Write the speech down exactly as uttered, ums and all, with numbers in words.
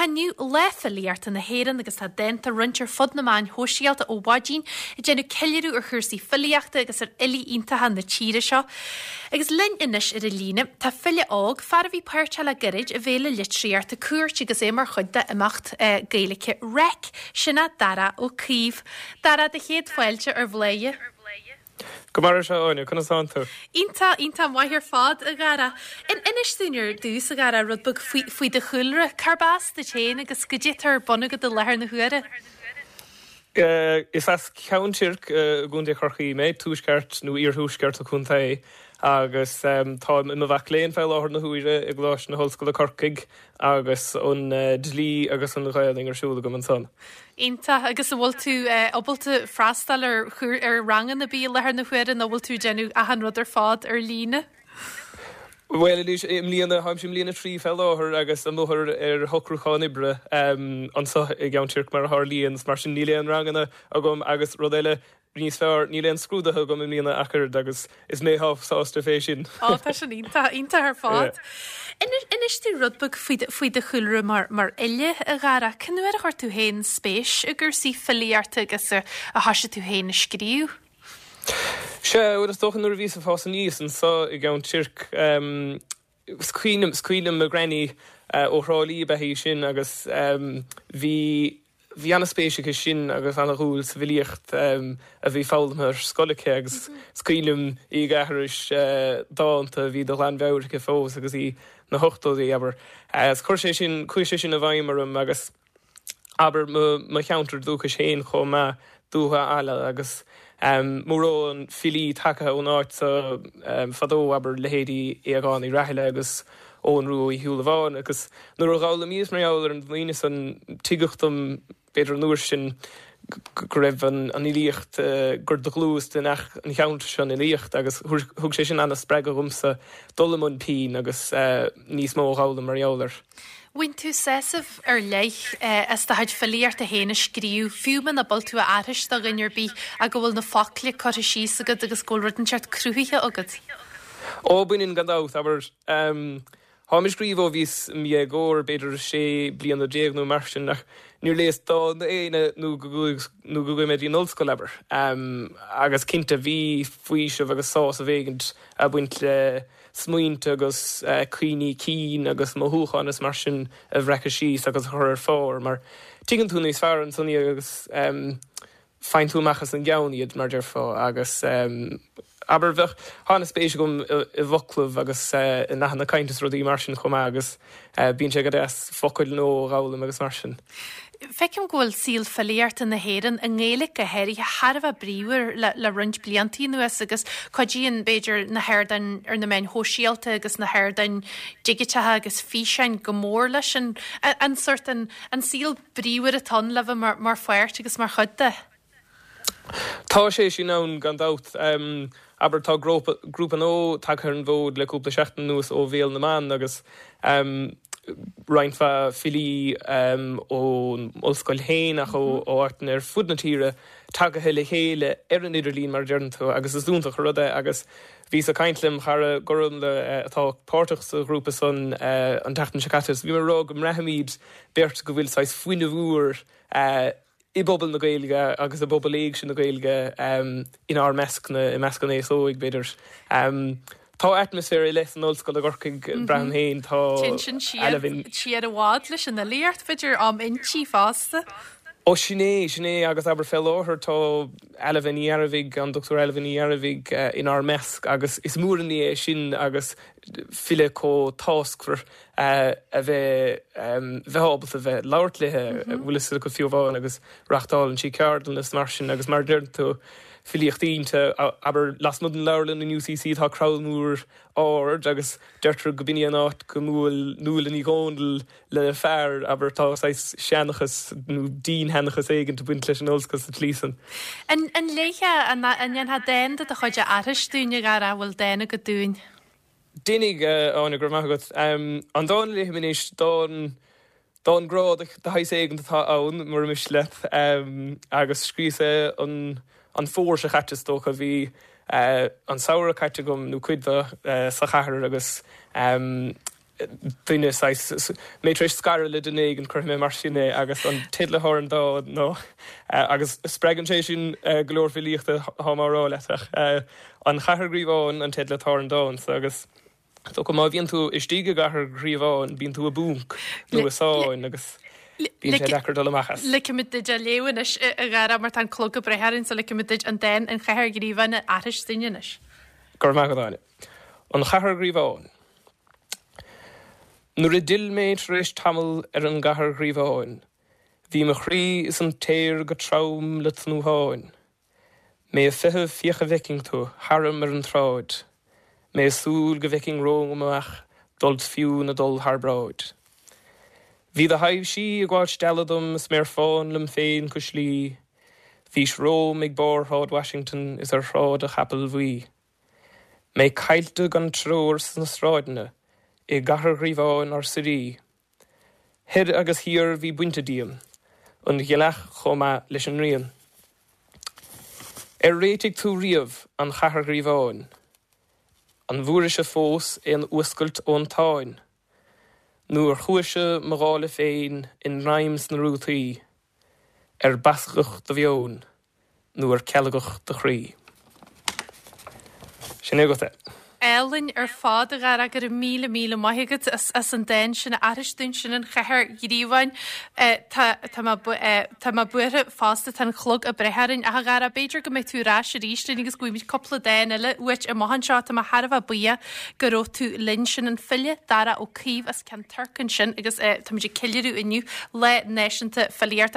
inniu Lá Filíochta na hÉireann agus tá dánta á roinnt ar fud na meáin shóisialta ó mhaidin ag déanamh ceiliúradh ar chúrsaí filíochta agus ar fhilí iontacha na tíre seo. Agus linn anois ar an líne tá file óg fear a bhí páirteach le gairid i bhFéile Litríochta Cúirt agus é mar chuid d'imeacht eh, Gaeilge REIC sin é Dara Ó Caoimh. Dara do chéad fáilte ar Bhladhaire. Go maire seo Áine conas tánn tú. Iontach iontach maith ar fad a Dhara. In inis dúinn ar dtús a Dhara rud beag faoi do chúlra cárb as duit féin agus goidé atá ar bun agat i láthair na huaire. Uh, is as Ceann Toirc uh, i gContae Chorcaí mé tuaisceart nó iarthuaisceart an chontae agus um, tá i mo mhac léinn fé láthair na huaire i gColáiste na hOllscoile Corcaigh agus an uh, dlí agus an Ghaeilge ar siúl agam ansan. Iontach agus an bhfuil tú ábalta freastal ar ar ranganna ar bith i láthair na huaire nó bhfuil tú déanamh achan rud ar fad ar líne. Well anois i mbliana táim i mbliain a trí fé láthair agus an máthair ar shocrúchán oibre um, anseo i gCeann Toirc mar a tharlaíonn mar sin níl aon ranganna agam agus rud eile níos fearr níl aon scrúduithe agam i mbliana ach oiread agus is mé sásta fé sin. Á tá sin iontach iontach ar fad. Inis dúinn rud beag faoi do chúlra mar mar fhile a Dhara, cén uair a chuir tú féin spéis i gcúrsaí filíochta agus a thosaigh tú féin a scríobh. Sé bhuel is dócha nuair a bhíos ag fás aníos anseo i gCeann Toirc um, scuoine scuoine me granny uh, ó Thrá Lí betí sin agus um, bhí bhí an-spéis aici sin agus an-dúil sa bhfilíocht um, a bhí foghlamtha ar scoil aici agus is cuimhin liom í ag aithris uh, dánta a bhí de ghlanmheabhair aici fós agus í na hochtóidí abair. Uh, chuir sé sin chuaigh sé sin i bhfeidhm orm agus abair mo cheantar dúchais féin chomh maith Dúiche Ealla agus um, mórán filí tagtha ón áit sa um, fadó abair leithéidí Aogán Uí Rathaille agus Eoghan Rua Uí Shúilleabháin agus nuair a d'fhoghlaimíos mar gheall ar an ndaoine san tuigeadh dom b'fhéidir an uair sin go raibh an an fhilíocht uh, gur de dhlús den ach an cheantar seo an fhilíocht agus thug sé sin an-spreagadh dhomsa dul i mbun pinn agus uh, níos mó a fhoghlaim mar gheall air. Bhain tú sásamh ar leith as do chuid filíochta féin a scríobh, fiú muna bhfuil tú a aithris do dhuine ar bith ach go bhfuil na focla curtha síos agat agus go bhfuil rud inteacht cruthaithe agat. Ó baineann gan dabht abair um, Táim ag scríobh ó bhíos i mo dhéagóir b'fhéidir sé bliana déag nó mar sin ach níor léas dán d'aoinne nó go nó go mé an ollscoil abair. Um, agus cinnte bhí faoiseamh agus sásamh éigin ag baint le smaointe agus uh, cuimhní cinn agus mothúcháin is mar sin a bhreacadh síos agus a chur ar phár mar tuigeann tú níos fearr ansan agus um, faigheann tú amach as an gceann iad mar déarfá agus um, aber bheadh an-spéis agam i bhfoclaibh agus uh, i nathanna cainte is rudaí mar sin chomh maith agus uh, bíonn sé go deas focail nua a fhoghlaim agus mar sin. Feicim go bhfuil saol filíochta na hÉireann i nGaeilge go háirithe thar a bheith bríomhar le, le roinnt blianta anuas agus cuidíonn b'fhéidir na hardáin ar na meáin shóisialta agus na hardáin dhigiteacha agus físeáin go mór leis an, an sort an, an saol bríomhar atá le bheith mar, mar pháirt agus mar chuid de. Tá sé sin ann gan dabht um, aber tá grúpa grúpa nua tagtha ar an bhfód le cúpla seachtain anuas ó Bhéal na mBan agus um, roinnt mhaith filí um, ón ollscoil féin ach ó ó áiteanna ar fud na tíre tagtha le chéile ar an idirlíon mar deireann tú agus is iontach an rud é agus bhíos ag caint lem chara Gorm le uh, atá páirteach sa ghrúpa san uh, an tseachtain seo caite. Bhí mé ag rá go mbraithimid beirt go bhfuil saghas fuinneamh úr uh, i bpobal na Gaeilge agus i bpobal éigse na Gaeilge um, inár measc na i measc an aos óig b'fhéidir. Um, Tá atmaisféar eile san ollscoil i gCorcaigh braithim féin tá Sin siar i bhfad leis an fhilíocht b'fhéidir am intí fosta. Ó sin é sin é agus aber fé láthair tá Ailbhe Ní Ghearbhuigh an Dr Ailbhe Ní Ghearbhuigh uh, inár measc agus is mór an ní é sin agus file chomh táscmhar uh, a bheith um, bheith ábalta bheith labhairt léi bhfuil go fiú amháin agus reáchtálann sí ceardlanna is mar sin agus mar deireann tú filíocht iontach aber lasmuigh den leabharlann in UCC tá crann mór ard agus deirtear go b'in an áit gur bhuail Nuala Ní Dhomhnaill le fear aber tá seanchas nó dinnseanchas éigin ag baint leis an ollscoil sa tslí san. An an léifeá an an ndéanfá dán de do chuid a aithris dúinn a Dhara bhfuil dán agat dúinn. Déanfaidh Áine go raibh maith agat an dán a léifidh mé anois dán dán grá de shaghas éigin atá ann mar mis leat agus scríos é an an fómhar seo caite is dócha bhí uh, an samhradh caite agam nó cuid de uh, sa chathair agus um, duine saghas, mé tar éis scaradh le duine éigin, cuirfidh mé mar sin é, agus an teideal atá ar an dán ná, agus spreagann sé sin go leor filíochta tá mé á rá leat ach An Chathair Ghríobháin an teideal atá ar an dán so agus is dócha má bhíonn tú istigh i gCathair Ghríobháin bíonn tú i bponc nó i sáinn agus bíonn sé deacair dul amach as. Ligfimid duit é a léamh anois a Dhara mar tá an clog ag breith orainn so ligfimid duit an dán An Chathair Ghríobháin a aithris dúinn anois. Go raibh maith agat Áine. An Chathair Ghríobháin. Nuair a d'fhill mé tar éis tamaill ar an gCathair Ghríobháin bhí mo chroí is an t-aer go trom le tnútháin. Mé ag feitheamh féach a bhfeicfinn tú tharam ar an tsráid, mé ag súil go bhfeicfinn romham amach dul fiú nó dul thar bráid. Bhí do thaibhsí ag gabháil stealladh dom is mé ar fán liom féin cois Laoi, bhís romham ag barr Shráid Washington is ar Shráid an Chapaill Bhuí. Mé caillte gan treoir sna sráideanna i gCathair Ghríobháin ár suirí. Thoir agus thiar bhí bainte díom, an ghealach chomh maith leis an ngrian. Ar réitigh tú riamh an Chathair Ghríobháin? An bhfuairis-se fós aon fhuascailt ón tsáinn? Nó ar chuais-se mo dhála féin i ngreim sna rútaí, ar bascadh do mheon nó ar cealgadh do chroí? Sin é agat é. Álainn ar fad a Dhara, go raibh míle míle maith agat as as an dán sin a aithris dúinn, sin An Chathair Ghríobháin. Tá tá mé tá mé buartha fosta, tá an clog ag breith orainn. Ach a Dhara, b'fhéidir go mbeidh tú ar ais arís linn agus go bhfaighimid cúpla dán eile uait amach anseo. Tá mé thar a bheith buíoch go raibh tú linn. Sin an file Dara Ó Caoimh as Ceann Toirc ansin agus táimid ag ceiliúradh inniu Lá Náisiúnta Filíochta.